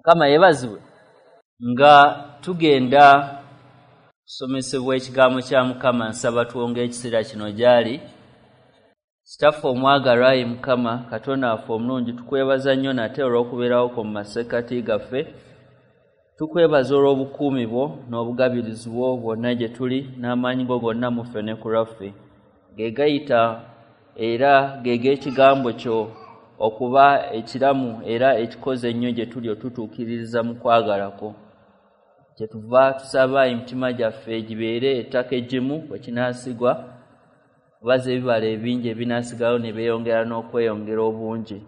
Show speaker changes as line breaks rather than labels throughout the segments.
Mukama yeebazibwe. Nga tugenda kusomesebwa ekigambo kya Mukama, nsaba twonge ekiseera kino gy'ali. Kitaffe omwagalwa, ayi Mukama Katonda waffe omulungi, tukwebaza nnyo nate olw'okubeerawo kwo mu masekkati gaffe. Tukwebaza olw'obukuumi bwo n'obugabirizi bwo bwonna gye tuli, n'amaanyi go gonna mu ffe ne ku lwaffe. Ge gayita era ge g'ekigambo kyo okuba ekiramu era ekikoze ennyo gye tuli otutuukiririza mu kwagala kwo. Kyetuva tusaba emitima gyaffe gibeere ettaka eggimu kwe kinaasigwa, kubaza ebibala ebingi ebinaasigalawo ne beeyongera n'okweyongera obungi.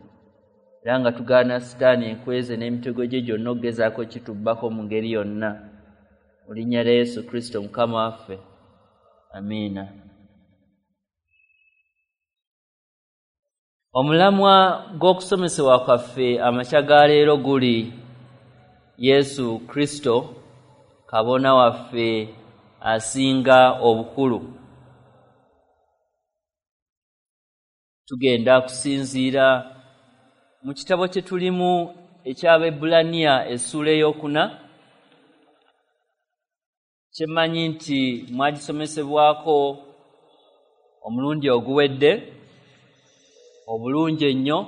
Era nga tugaana Sitaani enkweze n'emitego gye gyonna okugezaako kitubbako mu ngeri yonna. Mu linnya lya Yesu Kristo Mukama waffe. Amiina. Omulamwa gw'okusomesebwa kwaffe amakya ga leero guli Yesu Kristo kabona waffe asinga obukulu. Tugenda kusinziira mu kitabo kye tulimu eky'Abaebbulaniya essuula ey'okuna, kye mmanyi nti mwagisomesebwako omulundi oguwedde obulungi ennyo.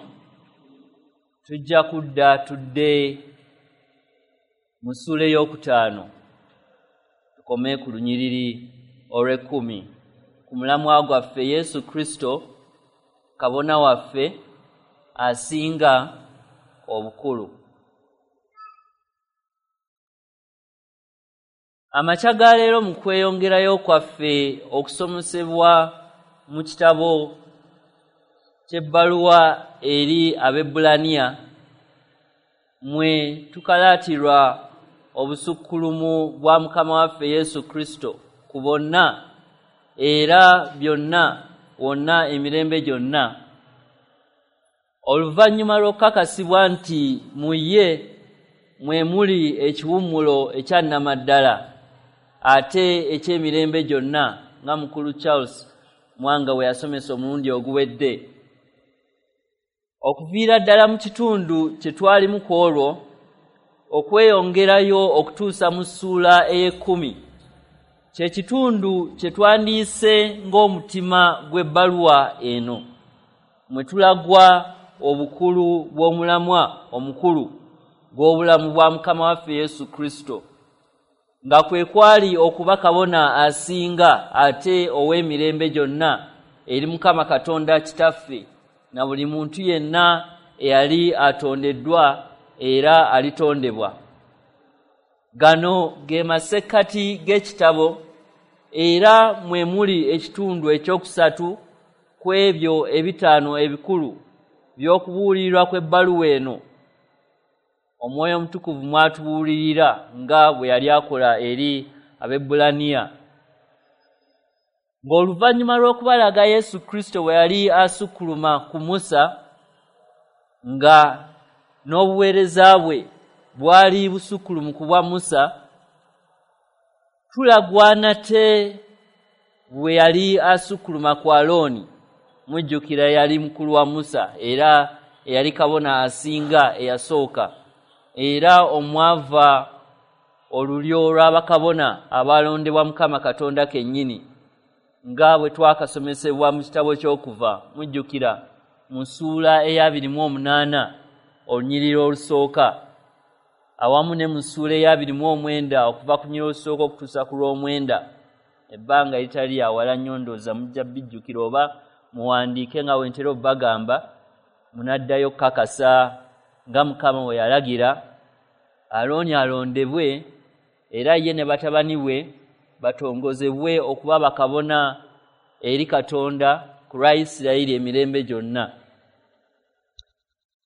Tujja kudda tudde mu ssuula ey'okutaano tukome ku lunyiriri olw'ekkumi ku mulamwa gwaffe Yesu Kristo kabona waffe asinga obukulu. Amakya ga leero mu kweyongerayo kwaffe okusomesebwa mu kitabo ky'ebbaluwa eri Abaebbulaniya, mwe tukalaatirwa obusukkulumu bwa Mukama waffe Yesu Kristo ku bonna era byonna wonna emirembe gyonna. Oluvannyuma lw'okukakasibwa nti mu ye mwe muli ekiwummulo ekya nnamaddala ate eky'emirembe gyonna, nga mukulu Charles Mwanga bwe yasomesa omulundi oguwedde. Okuviira ddala mu kitundu kye twalimu ku olwo okweyongerayo okutuusa mu ssuula ey'ekkumi, kye kitundu kye twandiise ng'omutima gw'ebbaluwa eno, mwe tulagwa obukulu bw'omulamwa omukulu gw'obulamu bwa Mukama waffe Yesu Kristo, nga kwe kwali okuba kabona asinga ate ow'emirembe gyonna eri Mukama Katonda Kitaffe na buli muntu yenna eyali atondeddwa era alitondebwa. Gano ge masekkati g'ekitabo era mwe muli ekitundu ekyokusatu ku ebyo ebitaano ebikulu by'okubuulirirwa kw'ebbaluwa eno. Omwoyo Omutukuvu mw'atubuulirira nga bwe yali akola eri Abaebbulaniya. Ng'oluvannyuma lw'okubalaga Yesu Kristo bwe yali asukkuluma ku Musa, nga n'obuweereza bwe bwali busukkulumu ku bwa Musa, tulagwa nate bwe yali asukkuluma ku Alooni. Mujjukira yali mukulu wa Musa era eyali kabona asinga eyasooka, era omwava olulyo lw'abakabona abalondebwa Mukama Katonda kennyini, nga bwe twakasomesebwa mu kitabo ky'Okuva. Mujjukira mu ssuula ey'abiri mu omunaana olunyiriri olusooka, awamu ne mu ssuula ey'abiri mu omwenda okuva ku lunyiriri olusooka okutuusa ku lw'omwenda. Ebbanga eritali awala nnyo ndowooza mujja bijjukira, oba muwandiike nga bwe ntera obbagamba, munaddayo okukakasa nga Mukama bwe yalagira Alooni alondebwe era ye ne batabani bwe batongozebwe okuba bakabona eri Katonda ku lwa Isirayiri emirembe gyonna.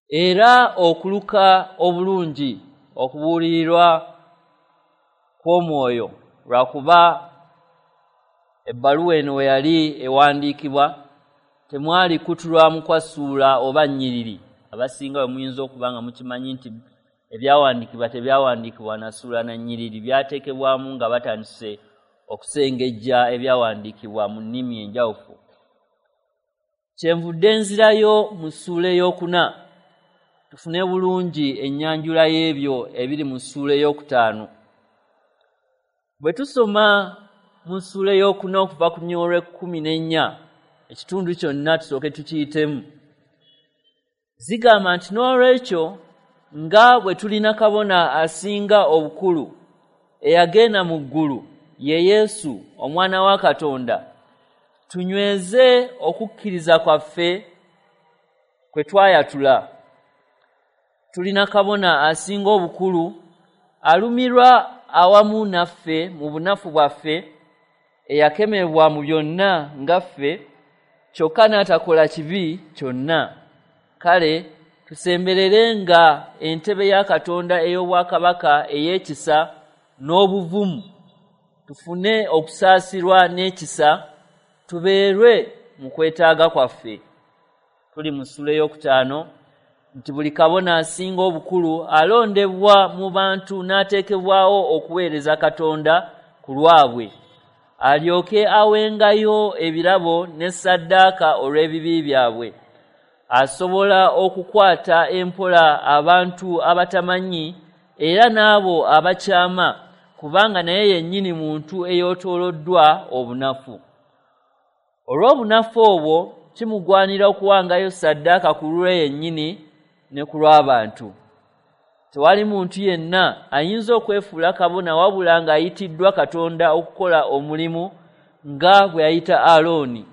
Era okuluka obulungi okubuulirirwa kw'omwoyo, lwakuba ebbaluwa eno we yali ewandiikibwa temwali kutulwamu kwa ssuula oba nnyiriri. Abasinga bwe muyinza okuba nga mukimanyi nti ebyawandiikibwa tebyawandiikibwa na ssuula na nnyiriri, byateekebwamu nga batandise okusengejja ebyawandiikibwa mu nnimi enjawufu. Kyenvudde nzirayo mu ssuula ey'okuna tufune bulungi ennyanjula y'ebyo ebiri mu ssuula ey'okutaano. Bwe tusoma mu ssuula ey'okuna okuva ku lunyiriri olw'ekkumi n'ennya, ekitundu kyonna tusooke tukiyitemu. Zigamba nti n'olwekyo nga bwe tulina kabona asinga obukulu eyagenda mu ggulu, ye Yesu omwana wa Katonda, tunyweze okukkiriza kwaffe kwe twayatula. Tulina kabona asinga obukulu alumirwa awamu naffe mu bunafu bwaffe, eyakemebwa mu byonna nga ffe, kyokka n'atakola kibi kyonna. Kale tusembererenga entebe ya Katonda ey'obwakabaka ey'ekisa n'obuvumu, tufune okusaasirwa n'ekisa, tubeerwe mu kwetaaga kwaffe. Tuli mu ssuula ey'okutaano nti buli kabona asinga obukulu alondebwa mu bantu n'ateekebwawo okuweereza Katonda ku lwabwe, alyoke awengayo ebirabo ne ssaddaaka olw'ebibi byabwe. Asobola okukwata empola abantu abatamanyi era n'abo abakyama, kubanga naye yennyini muntu eyeetooloddwa obunafu. Olw'obunafu obwo kimugwanira okuwangayo ssaddaaka ku lulwe yennyini ne ku lw'abantu. Tewali muntu yenna ayinza okwefuula kabona wabula ng'ayitiddwa Katonda okukola omulimu nga bwe yayita Alooni.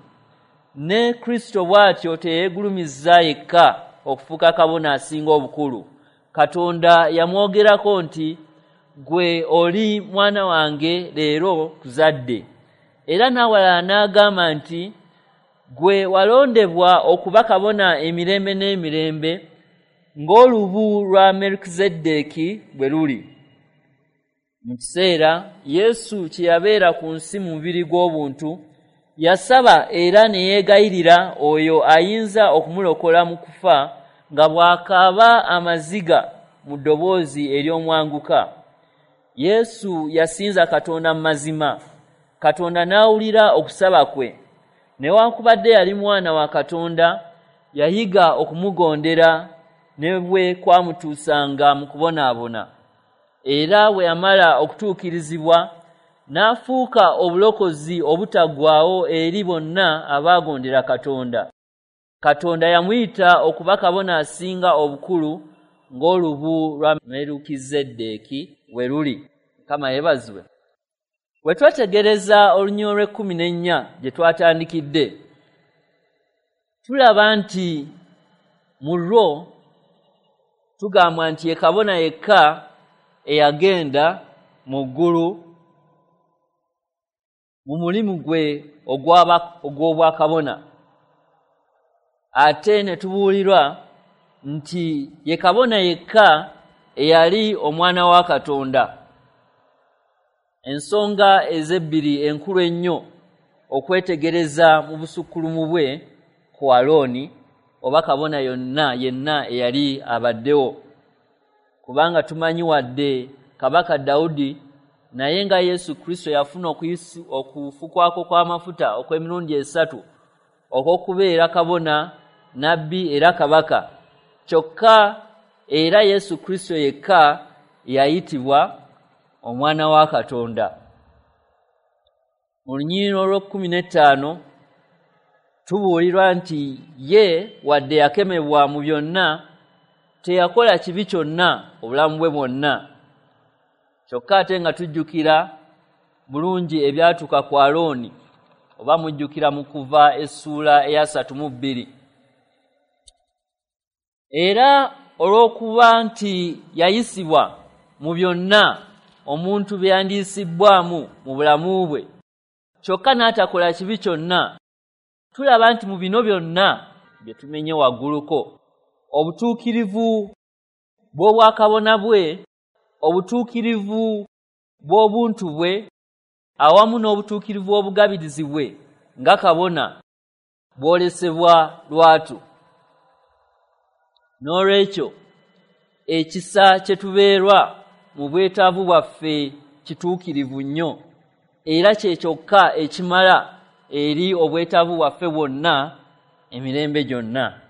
Ne Kristo bw'atyo teyeegulumiza yekka okufuuka kabona asinga obukulu. Katonda yamwogerako nti, "Ggwe oli mwana wange, leero nkuzadde." Era n'awalala n'agamba nti, "Ggwe walondebwa okuba kabona emirembe n'emirembe, ng'olubu lwa Merukizeddeeki bwe luli." Mu kiseera Yesu kye yabeera ku nsi mu mubiri gw'obuntu, yasaba era ne yeegayirira oyo ayinza okumulokola mu kufa, nga bw'akaaba amaziga mu ddoboozi ery'omwanguka. Yesu yasinza Katonda mu mazima, Katonda n'awulira okusaba kwe. Newankubadde yali mwana wa Katonda, yayiga okumugondera ne bwe kwamutuusanga mu kubonaabona. Era bwe yamala okutuukirizibwa, n'afuuka obulokozi obutaggwaawo eri bonna abaagondera Katonda. Katonda yamuyita okuba kabona asinga obukulu ng'olubu lwa Merukizeddeeki bwe luli. Mukama yeebazibwe. Bwe twetegereza olunyiriri olw'ekkumi n'ennya gye twatandikidde, tulaba nti mu lwo tugambwa nti ye kabona yekka eyagenda mu ggulu mu mulimu gwe ogw'obwakabona. Ate ne tubuulirwa nti ye kabona yekka eyali omwana wa Katonda. Ensonga ezebbiri enkulu ennyo okwetegereza mu busukkulumu bwe ku Alooni oba kabona yonna yenna eyali abaddewo, kubanga tumanyi wadde Kabaka Dawudi naye nga Yesu Kristo yafuna okufukwako kw'amafuta okw'emirundi esatu okw'okubeera kabona, nabbi era kabaka, kyokka era Yesu Kristo yekka yayitibwa omwana wa Katonda. Mu lunyiriri olw'ekkumi n'ettaano tubuulirwa nti ye wadde yakemebwa mu byonna, teyakola kibi kyonna obulamu bwe bwonna. Kyokka ate nga tujjukira bulungi ebyatuuka ku Alooni, oba mujjukira mu Kuva essuula eyasatu mu bbiri. Era olw'okuba nti yayisibwa mu byonna omuntu bye yandiyisibbwamu mu bulamu bwe, kyokka n'atakola kibi kyonna, tulaba nti mu bino byonna bye tumenye wagguluko, obutuukirivu bw'obwakabona bwe, obutuukirivu bw'obuntu bwe, awamu n'obutuukirivu bw'obugabirizi bwe nga kabona bwolesebwa lwatu. N'olwekyo ekisa kye tubeerwa mu bwetaavu bwaffe kituukirivu nnyo, era kye kyokka ekimala eri obwetaavu bwaffe bwonna emirembe gyonna.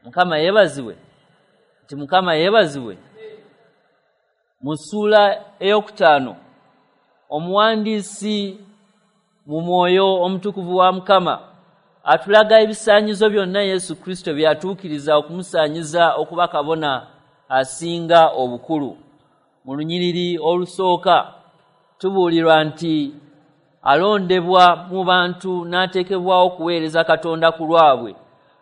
Mukama yeebazibwe. Nti Mukama yeebazibwe. Mu ssuula 5 omuwandiisi mu mwoyo omutukuvu wa Mukama atulaga ebisaanyizo byonna Yesu Kristo byatuukiriza okumusaanyiza okuba kabona asinga obukulu. Mu lunyiriri olusooka tubuulirwa nti alondebwa mu bantu n'ateekebwawo okuweereza Katonda ku lwabwe,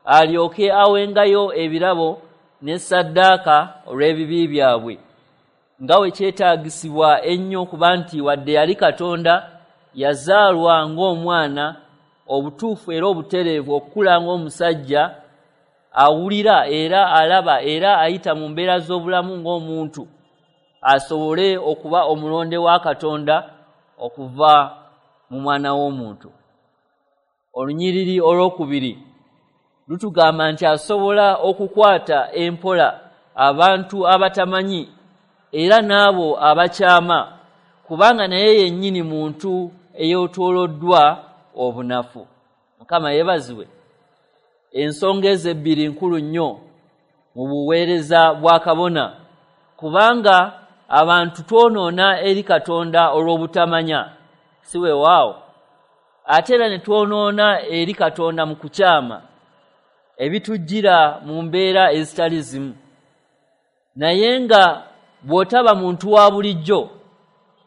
alyoke awengayo ebirabo ne ssaddaaka olw'ebibi byabwe, nga we kyetaagisibwa ennyo kuba nti wadde yali Katonda yazaalwa ng'omwana obutuufu era obutereevu okukula ng'omusajja awulira era alaba era ayita mu mbeera z'obulamu ng'omuntu, asobole okuba omulonde wa Katonda okuva mu mwana w'omuntu. Olunyiriri 2 lutugamba nti asobola okukwata empola abantu abatamanyi era n'abo abakyama, kubanga naye yennyini muntu eyeetooloddwa obunafu. Mukama yeebazibwe. Ensonga ezo ebbiri nkulu nnyo mu buweereza bwa kabona, kubanga abantu twonoona eri Katonda olw'obutamanya, si weewaawo, ate era ne twonoona eri Katonda mu kukyama ebitujjira mu mbeera ezitali zimu. Naye nga bw'otaba muntu wa bulijjo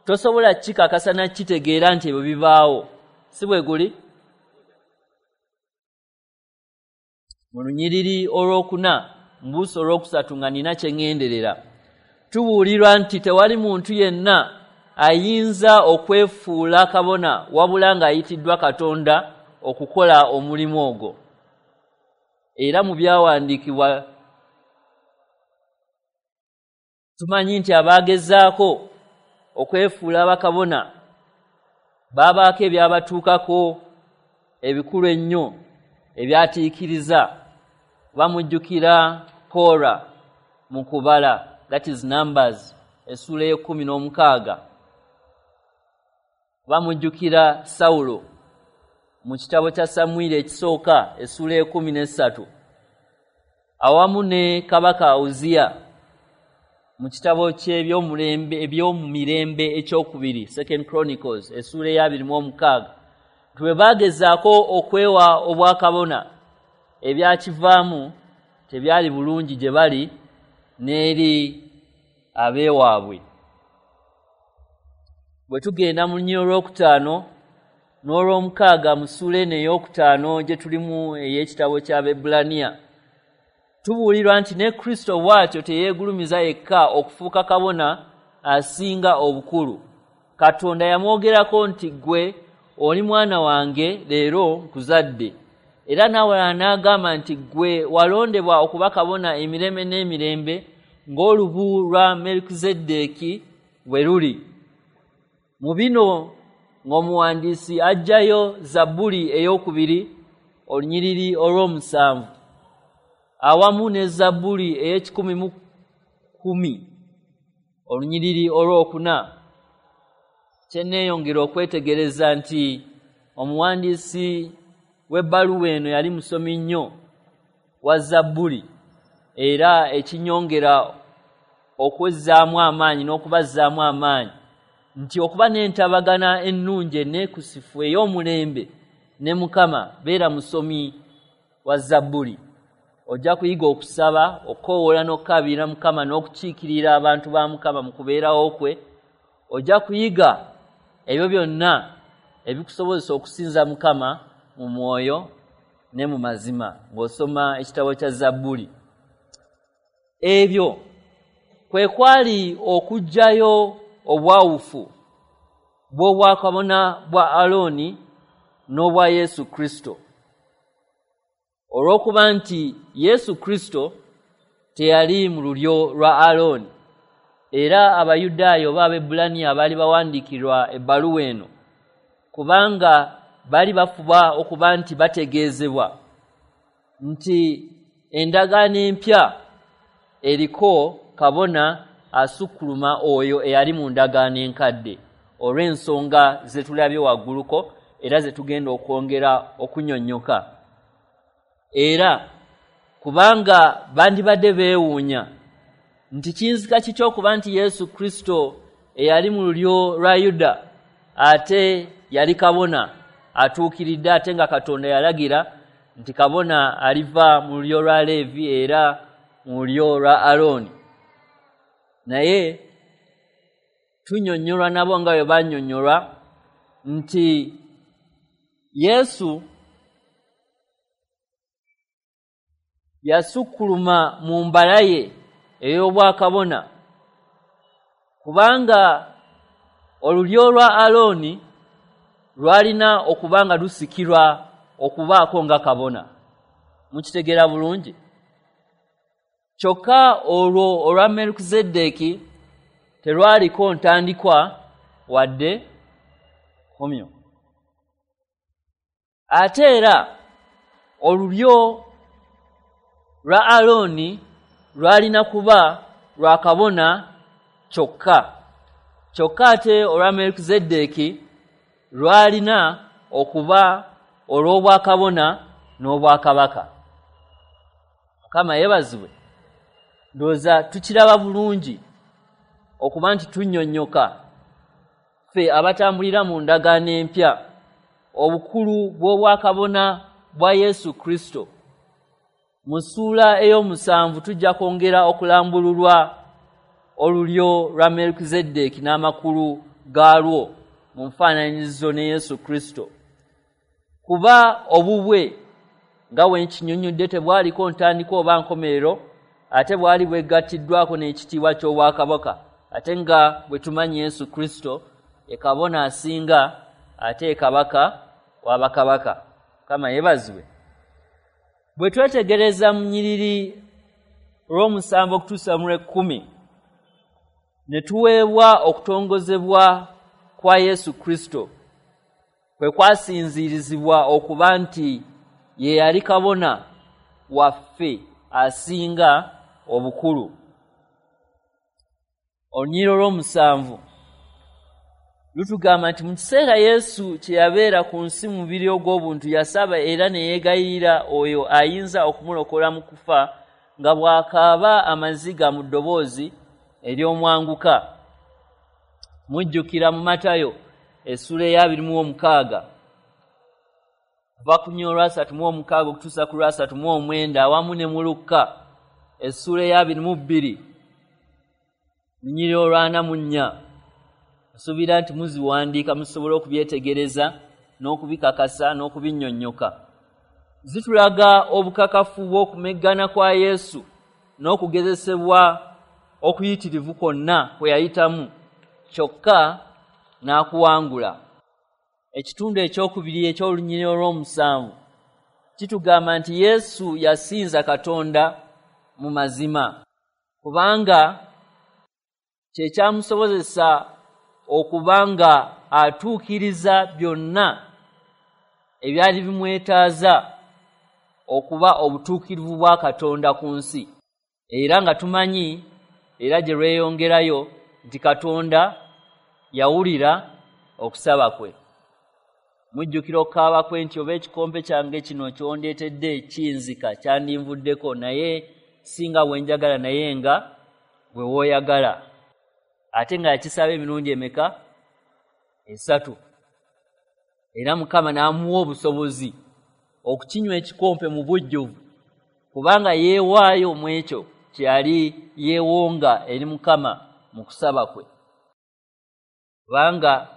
tosobola kikakasa na kitegeera nti ebyo bibaawo, si bwe guli? Mu lunyiriri 4 mbuusa 3 nga nina kye ŋŋenderera, tubuulirwa nti tewali muntu yenna ayinza okwefuula kabona wabula ng'ayitiddwa Katonda okukola omulimu ogwo. Era mu byawandiikibwa tumanyi nti abaagezaako okwefuula bakabona baabaako ebyabatuukako ebikulu ennyo ebyatiikiriza. Bamujjukira Kora mu kubala, that is Numbers essuula 16. Bamujjukira Sawulo mu kitabo kya Samwiri ekisooka essuula 13, awamu ne Kabaka Uziya mu kitabo ky'ebyomulembe ebyomumirembe ekyokubiri, Second Chronicles essuula 26. Bwe baagezaako okwewa obwakabona, ebyakivaamu tebyali bulungi gye bali n'eri abeewaabwe. Bwe tugenda mu lunyiriri 5 n'olwomukaaga mu ssuula eno 5 gye tulimu ey'ekitabo ky'Abaebbulaniya, tubuulirwa nti ne Kristo bw'atyo teyeegulumiza yekka okufuuka kabona asinga obukulu. Katonda yamwogerako nti ggwe oli mwana wange, leero nkuzadde. Era n'awalala n'agamba nti ggwe walondebwa okuba kabona emirembe n'emirembe ng'olubu lwa Melikizeddeeki bwe luli. Mu bino ng'omuwandiisi aggyayo Zabbuli 2 olunyiriri 7 awamu ne Zabbuli 110 olunyiriri 4. Kyenneeyongera okwetegereza nti omuwandiisi w'ebbaluwa eno yali musomi nnyo wa Zabbuli, era ekinyongera okwezzaamu amaanyi n'okubazzaamu amaanyi nti okuba n'entabagana ennungi enneekusifu ey'omulembe ne Mukama, beera musomi wa Zabbuli. Ojja kuyiga okusaba, okukoowoola n'okukaabirira Mukama n'okukiikirira abantu ba Mukama mu kubeerawo kwe. Ojja kuyiga ebyo byonna ebikusobozesa okusinza Mukama mu mwoyo ne mu mazima ng'osoma ekitabo kya Zabbuli. Ebyo kwe kwali okuggyayo obwawufu bw'obwakabona bwa Alooni n'obwa Yesu Kristo. Olw'okuba nti Yesu Kristo teyali mu lulyo lwa Alooni, era Abayudaaya oba Abaebbulaniya abaali bawandiikirwa ebbaluwa eno, kubanga baali bafuba okuba nti bategeezebwa nti endagaano empya eriko kabona asukkuluma oyo eyali mu ndagaano enkadde, olw'ensonga ze tulabye wagguluko era ze tugenda okwongera okunyonnyoka. Era kubanga bandibadde beewuunya nti kiyinzika kitya okuba nti Yesu Kristo eyali mu lulyo lwa Yuda ate yali kabona atuukiridde, ate nga Katonda yalagira nti kabona aliva mu lulyo lwa Leevi era mu lulyo lwa Alooni. Naye tunnyonnyolwa nabo nga bwe bannyonnyolwa nti Yesu yasukkuluma mu mbala ye ey'obwakabona, kubanga olulyo lwa Alooni lwalina okuba nga lusikirwa okubaako nga kabona. Mukitegeera bulungi? Kyokka olwo olwa Melukizeddeeki terwaliko ntandikwa wadde nkomyo. Ate era olulyo lwa Alooni lwalina kuba lwa kabona kyokka, kyokka ate olwa Melukizeddeeki lwalina okuba olw'obwakabona n'obwakabaka. Mukama yeebazibwe. Ndowooza tukiraba bulungi okuba nti tunnyonnyoka ffe abatambulira mu ndagaano empya obukulu bw'obwakabona bwa Yesu Kristo. Mu ssuula ey'omusanvu tujja kwongera okulambululwa olulyo lwa Melukizeddeeki n'amakulu gaalwo mu nfaananyirizo ne Yesu Kristo. Kuba obubwe nga bwe nkinnyonnyodde tebwaliko ntandikwa oba nkomerero, ate bwali bwegattiddwako n'ekitiibwa ky'obwakabaka, ate nga bwe tumanyi Yesu Kristo ye kabona asinga ate ye kabaka w'abakabaka. Mukama yeebazibwe. Bwe twetegereza mu nnyiriri olw'omusanvu okutuusa mu lw'ekkumi, ne tuweebwa okutongozebwa kwa Yesu Kristo kwe kwasinziirizibwa okuba nti ye yali kabona waffe asinga obukulu. Olunyiriri olw'omusanvu lutugamba nti mu kiseera Yesu kye yabeera ku nsi mu mubiri ogw'obuntu yasaba era ne yeegayirira oyo ayinza okumulokola mu kufa, nga bw'akaaba amaziga mu ddoboozi ery'omwanguka. Mujjukira mu Matayo essula eya 26 kuva ku 36 okutuusa ku 39, awamu ne mu Lukka essula eya 22 lunyiriri olwa 44. Nsuubira nti muziwandiika musobole okubyetegereza n'okubikakasa n'okubinnyonnyoka. Zitulaga obukakafu bw'okumeggana kwa Yesu n'okugezesebwa okuyitirivu kwonna kwe yayitamu, kyokka n'akuwangula. Ekitundu ekyokubiri eky'olunyiriri olw'omusanvu kitugamba nti Yesu yasinza Katonda mu mazima, kubanga kye kyamusobozesa okuba nga atuukiriza byonna ebyali bimwetaaza okuba obutuukirivu bwa Katonda ku nsi. Era nga tumanyi era gye lweyongerayo nti Katonda yawulira okusaba kwe. Mujjukira okukaaba kwe nti oba ekikompe kyange kino ky'ondeetedde kiyinzika kyandinvuddeko, naye si nga bwe njagala naye nga bwe w'oyagala. Ate nga yakisaba emirundi emeka? 3. Era Mukama n'amuwa obusobozi okukinywa ekikompe mu bujjuvu, kubanga yeewaayo mu ekyo kye yali yeewonga eri Mukama mu kusaba kwe. Kubanga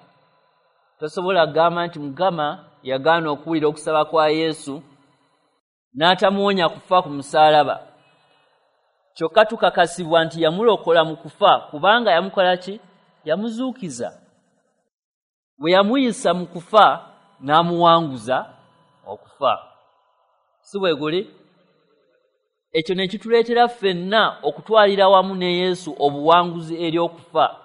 tosobola kugamba nti Mukama yagaana okuwulira okusaba kwa Yesu n'atamuwonya kufa ku musaalaba. Kyokka tukakasibwa nti yamulokola mu kufa, kubanga yamukola ki? Yamuzuukiza. Bwe yamuyisa mu kufa n'amuwanguza okufa. Si bwe guli? Ekyo ne kituleetera ffenna okutwalira wamu ne Yesu obuwanguzi eri okufa.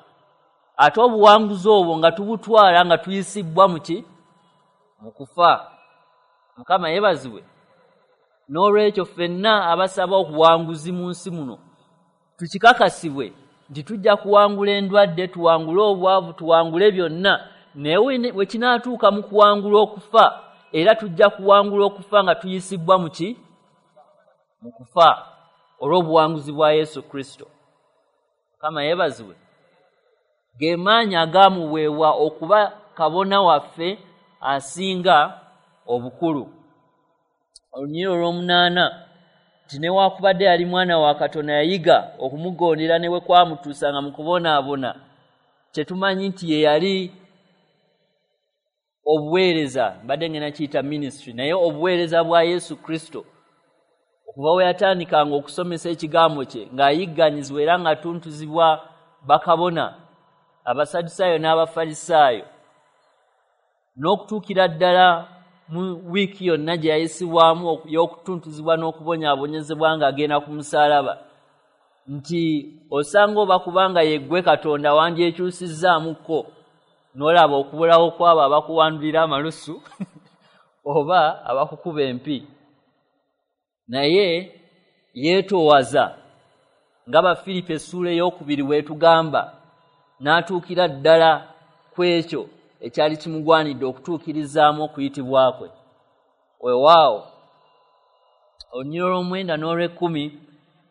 Ate obuwanguzi obwo nga tubutwala nga tuyisibbwa mu ki? Mu kufa. Mukama yeebazibwe. N'olwekyo ffenna abasaba obuwanguzi mu nsi muno tukikakasibwe nti tujja kuwangula endwadde, tuwangule obwavu, tuwangule byonna, naye bwe kinaatuuka mu kuwangula okufa, era tujja kuwangula okufa nga tuyisibbwa mu ki? Mu kufa, olw'obuwanguzi bwa Yesu Kristo. Mukama yeebazibwe. Ge maanyi agaamuweebwa okuba kabona waffe asinga obukulu. Olunyiriri olw'omunaana nti newaakubadde yali mwana wa Katonda, yayiga okumugondera ne bwe kwamutuusanga mu kubonaabona. Kyetumanyi nti ye yali obuweereza, mbadde ngenda kiyita ministry, naye obuweereza bwa Yesu Kristo okuva we yatandikanga okusomesa ekigambo kye ng'ayigganyizibwa era ng'atuntuzibwa bakabona Abasadusaayo n'Abafalisaayo, n'okutuukira ddala mu wiiki yonna gye yayisibwamu y'okutuntuzibwa n'okubonyaabonyezebwa ng'agenda ku musaalaba, nti osanga oba kubanga yeggwe Katonda wandyekyusizzaamuko n'olaba okubulawo kw'abo abakuwandulira amalusu oba abakukuba empi. Naye yeetoowaza nga Bafiripo essuula 2 bw'etugamba, n'atuukira ddala ku ekyo ekyali kimugwanidde okutuukirizaamu okuyitibwa kwe. Weewaawo olunyiriri olw'omwenda n'olw'ekkumi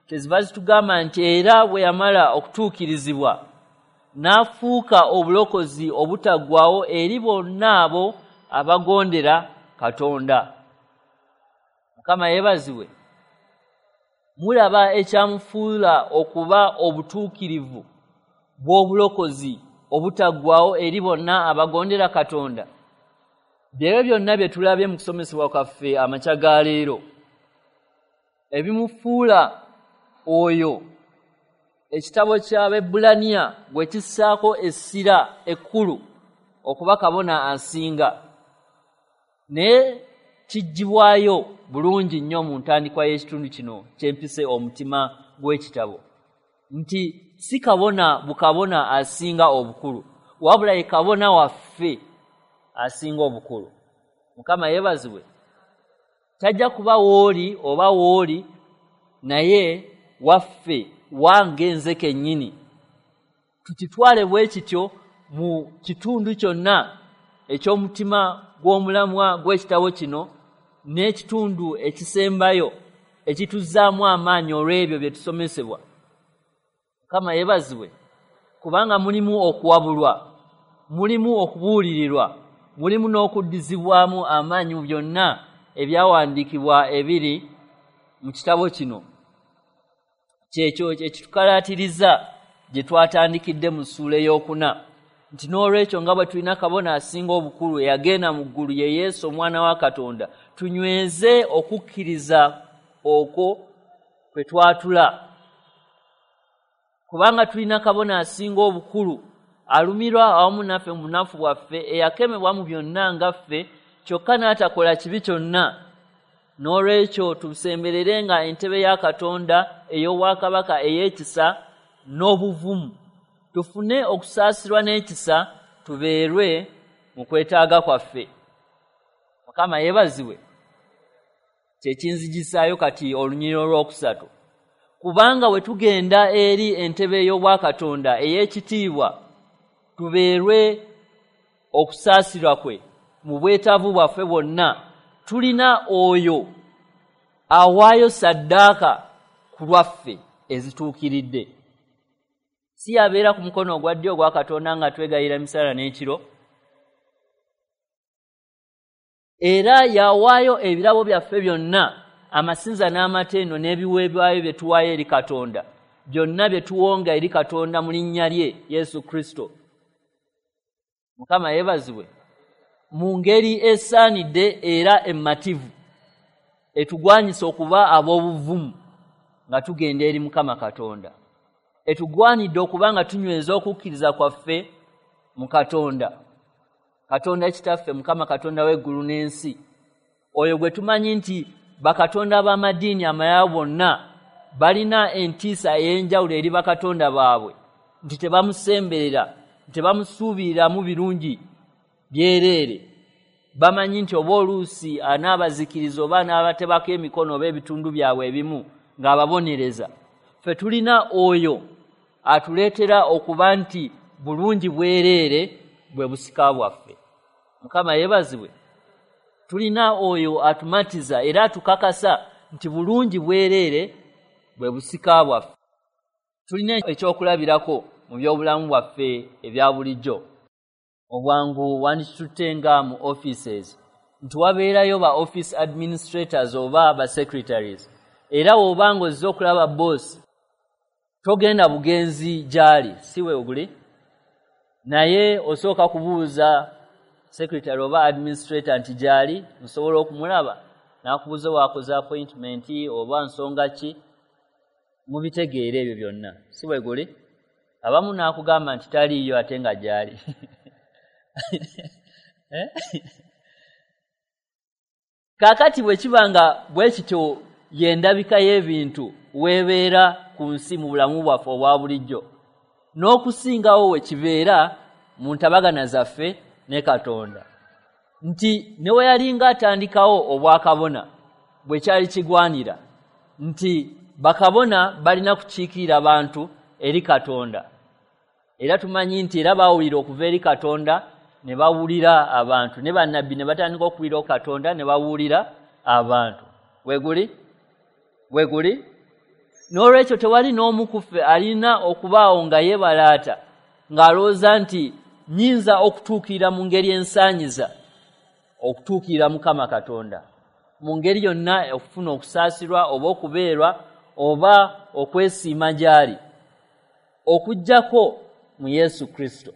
kyeziva zitugamba nti era bwe yamala okutuukirizibwa n'afuuka obulokozi obutaggwaawo eri bonna abo abagondera Katonda. Mukama yeebazibwe. Mulaba ekyamufuula okuba obutuukirivu bw'obulokozi obutaggwaawo eri bonna abagondera Katonda. Byebyo byonna bye tulabye mu kusomesebwa kwaffe amakya ga leero, ebimufuula oyo ekitabo ky'Abaebbulaniya gwe kissaako essira ekkulu okuba kabona asinga, naye kiggyibwayo bulungi nnyo mu ntandikwa y'ekitundu kino kyempise omutima gw'ekitabo, nti si kabona bukabona asinga obukulu, wabula ye kabona waffe asinga obukulu. Mukama yeebazibwe. Tajja kuba wooli oba wooli, naye waffe, wange nze kennyini. Tukitwale bwe kityo mu kitundu kyonna eky'omutima gw'omulamwa gw'ekitabo kino n'ekitundu ekisembayo ekituzzaamu amaanyi olw'ebyo bye tusomesebwa. Mukama yeebazibwe, kubanga mulimu okuwabulwa, mulimu okubuulirirwa, mulimu n'okuddizibwamu amaanyi mu byonna ebyawandiikibwa ebiri mu kitabo kino. Kyekyo ekitukalaatiriza gye twatandikidde mu ssuula 4, nti n'olwekyo nga bwe tulina kabona asinga obukulu eyagenda mu ggulu, ye Yesu omwana wa Katonda, tunyweze okukkiriza okwo kwe twatula. Kubanga tulina kabona asinga obukulu alumirwa awamu naffe mu bunafu bwaffe, eyakemebwa mu byonna nga ffe, kyokka n'atakola kibi kyonna. N'olwekyo tusembererenga entebe ya Katonda ey'obwakabaka ey'ekisa n'obuvumu, tufune okusaasirwa n'ekisa, tubeerwe mu kwetaaga kwaffe. Mukama yeebazibwe. Kyekinzijisaayo kati olunyiriri olwokusatu, kubanga we tugenda eri entebe y'obwakatonda ey'ekitiibwa, tubeerwe okusaasirwa kwe mu bwetaavu bwaffe bwonna, tulina oyo awaayo saddaaka ku lwaffe ezituukiridde. Si yabeera ku mukono ogwa ddyo ogwa Katonda nga twegayira emisana n'ekiro, era yawaayo ebirabo byaffe byonna, amasinza n'amatendo n'ebiweebwayo bye tuwaayo eri Katonda, byonna bye tuwonga eri Katonda mu linnya lye Yesu Kristo. Mukama yeebazibwe. Mu ngeri esaanidde era emmativu etugwanyisa okuba ab'obuvumu nga tugenda eri Mukama Katonda, etugwanidde okuba nga tunyweza okukkiriza kwaffe mu Katonda, Katonda Kitaffe, Mukama Katonda w'eggulu n'ensi, oyo gwe tumanyi nti bakatonda b'amadiini amalala bonna balina entiisa ey'enjawulo eri bakatonda baabwe, nti tebamusemberera, tebamusuubiriramu birungi byereere. Bamanyi nti oba oluusi anaabazikiriza oba anaabatebako emikono oba ebitundu byabwe ebimu ng'ababonereza. Ffe tulina oyo atuleetera okuba nti bulungi bwereere bwe busika bwaffe. Mukama yeebazibwe. Tulina oyo atumatiza era atukakasa nti bulungi bwereere bwe busika bwaffe. Tulina ekyokulabirako mu byobulamu bwaffe ebya bulijjo. Obwangu wandikitutte nga mu offices nti wabeerayo ba office administrators oba ba secretaries, era bw'obanga ozze okulaba boss togenda bugenzi gy'ali, si we oguli, naye osooka kubuuza secretary oba administrator nti gy'ali, nsobola okumulaba, n'akubuuza waakoze appointment oba nsonga ki. Mubitegeera ebyo byonna, si bwe guli? Abamu n'akugamba nti taliiyo ate nga gy'ali. Kaakati bwe kiba nga bwe kityo y'endabika y'ebintu weebeera ku nsi mu bulamu bwaffe obwa bulijjo, n'okusingawo we kibeera mu ntabagana zaffe ne Katonda, nti ne we yalinga atandikawo obwakabona bwe kyali kigwanira nti bakabona balina kukiikirira bantu eri Katonda, era tumanyi nti era bawulira okuva eri Katonda ne bawulira abantu, ne bannabbi ne batandika okuwulira Katonda ne bawulira abantu. Weguli? Weguli? N'olwekyo tewali n'omu ku ffe alina okubaawo nga yeebalaata ng'alowooza nti nnyinza okutuukirira mu ngeri ensaanyiza okutuukirira Mukama Katonda mu ngeri yonna, okufuna okusaasirwa oba okubeerwa oba okwesiima gy'ali, okuggyako mu Yesu Kristo.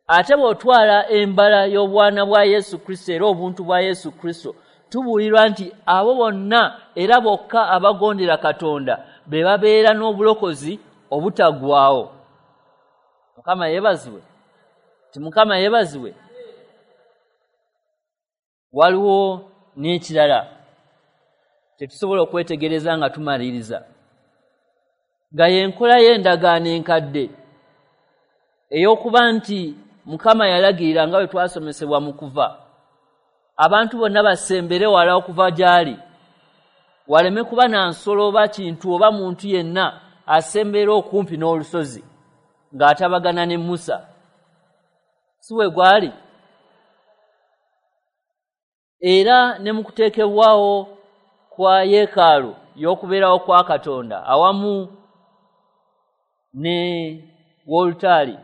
Ate bw'otwala embala y'obwana bwa Yesu Kristo era obuntu bwa Yesu Kristo, tubuulirwa nti abo bonna era bokka abagondera Katonda be babeera n'obulokozi obutaggwaawo. Mukama yeebazibwe. Ti Mukama yeebazibwe. Waliwo n'ekirala tetusobola okwetegereza nga tumaliriza, nga y'enkola y'endagaano enkadde ey'okuba nti Mukama yalagirira nga bwe twasomesebwa mu kuva, abantu bonna basembere wala okuva gy'ali, waleme kuba na nsolo oba kintu oba muntu yenna asemberera okumpi n'olusozi ng'atabagana ne Musa. Si bwe gwali? Era ne mu kuteekebwawo kwa yeekaalu y'okubeerawo kwa Katonda awamu ne wolutaali,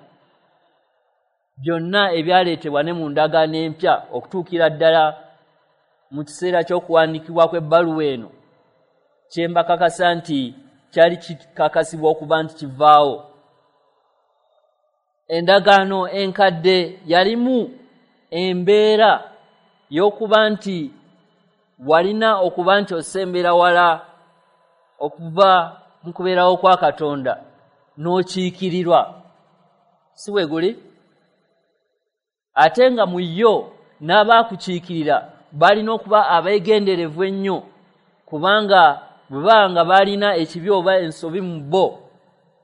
byonna ebyaleetebwa ne mu ndagaano empya okutuukira ddala mu kiseera ky'okuwandiikibwa kw'ebbaluwa eno, kye mbakakasa nti kyali kikakasibwa okuba nti kivaawo. Endagaano enkadde yalimu embeera y'okuba nti walina okuba nti osembera wala okuva mu kubeerawo kwa Katonda n'okiikirirwa, si bwe guli? Ate nga mu yo n'abaakukiikirira balina okuba abeegenderevu ennyo, kubanga bwe baba nga balina ekibi oba ensobi mu bo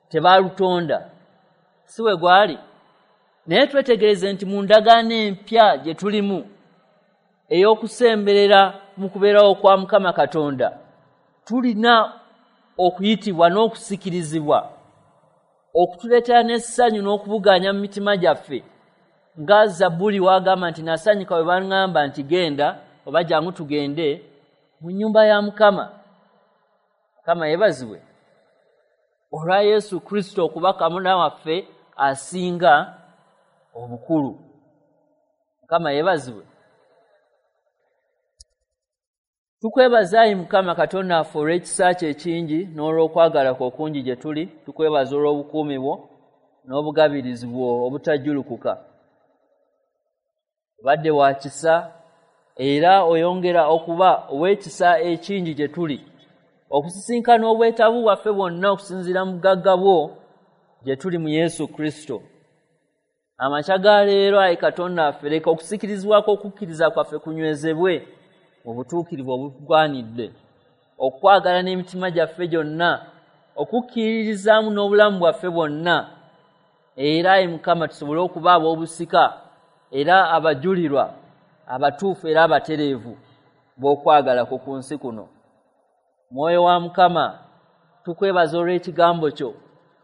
tebaalutonda, si bwe gwali? Naye twetegereze nti mu ndagaano empya gye tulimu ey'okusemberera mu kubeerawo kwa Mukama Katonda, tulina okuyitibwa n'okusikirizibwa okutuleetera n'essanyu n'okubugaanya mu mitima gyaffe, nga Zabbuli w'agamba nti nasanyuka bwe baŋŋamba nti genda oba jangu tugende mu nnyumba ya Mukama. Mukama yeebazibwe olwa Yesu Kristo okuba kabona waffe asinga obukulu. Mukama yeebazibwe. Tukwebaza ayi Mukama Katonda waffe olw'ekisa kyo ekingi n'olw'okwagala kwo okungi gye tuli. Tukwebaza olw'obukuumi bwo n'obugabirizi bwo obutajjulukuka. Obadde wa kisa era oyongera okuba ow'ekisa ekingi gye tuli, okusisinkana obwetaavu bwaffe bwonna okusinziira mu bugagga bwo gye tuli mu Yesu Kristo. Amakya ga leero ayi Katonda waffe, leka okusikirizibwako okukkiriza kwaffe kunywezebwe mu butuukirivu obugwanidde, okwagala n'emitima gyaffe gyonna, okukkiririzaamu n'obulamu bwaffe bwonna, era ayi Mukama tusobole okuba ab'obusika era abajulirwa abatuufu era abatereevu b'okwagala kwo ku nsi kuno. Mwoyo wa Mukama, tukwebaza olw'ekigambo kyo,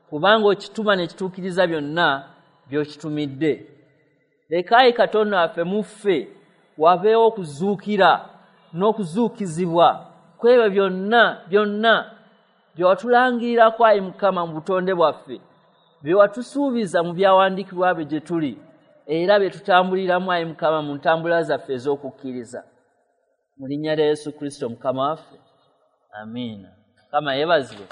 kubanga okituma ne kituukiriza byonna by'okitumidde. Leka ayi Katonda waffe mu ffe wabeewo okuzuukira n'okuzuukizibwa kw'ebyo byonna byonna Bye watulangirirako, ayi Mukama, mu butonde bwaffe, bye watusuubiza mu byawandiikibwa bye gye tuli, era bye tutambuliramu, ayi Mukama, mu ntambula zaffe ez'okukkiriza. Mu linnya lya Yesu Kristo Mukama waffe, amiina. Mukama yeebazibwe.